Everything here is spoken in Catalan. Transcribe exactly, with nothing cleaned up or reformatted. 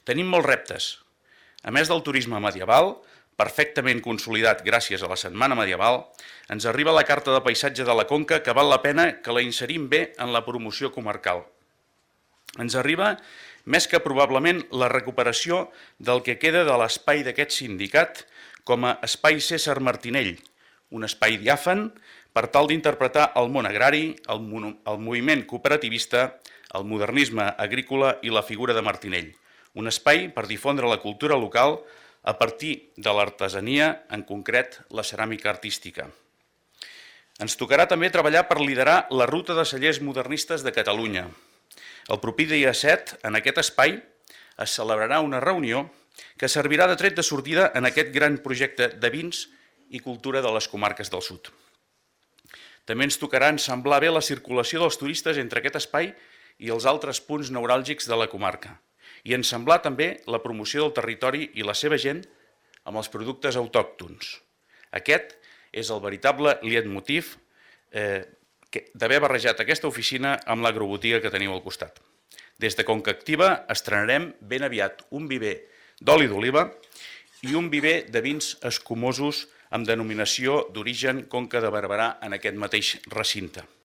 Tenim molts reptes. A més del turisme medieval, perfectament consolidat gràcies a la Setmana Medieval, ens arriba la Carta de Paisatge de la Conca que val la pena que la inserim bé en la promoció comarcal. Ens arriba més que probablement la recuperació del que queda de l'espai d'aquest sindicat com a espai César Martinell, un espai diàfan per tal d'interpretar el món agrari, el, el moviment cooperativista, el modernisme agrícola i la figura de Martinell. Un espai per difondre la cultura local a partir de l'artesania, en concret la ceràmica artística. Ens tocarà també treballar per liderar la ruta de cellers modernistes de Catalunya. El proper dia set, en aquest espai, es celebrarà una reunió que servirà de tret de sortida en aquest gran projecte de vins i cultura de les comarques del sud. També ens tocarà ensamblar bé la circulació dels turistes entre aquest espai i els altres punts neuràlgics de la comarca i ensamblar també la promoció del territori i la seva gent amb els productes autòctons. Aquest és el veritable leitmotiv eh, d'haver barrejat aquesta oficina amb l'agrobotiga que teniu al costat. Des de Conca Activa estrenarem ben aviat un viver d'oli d'oliva i un viver de vins escumosos amb denominació d'origen Conca de Barberà en aquest mateix recinte.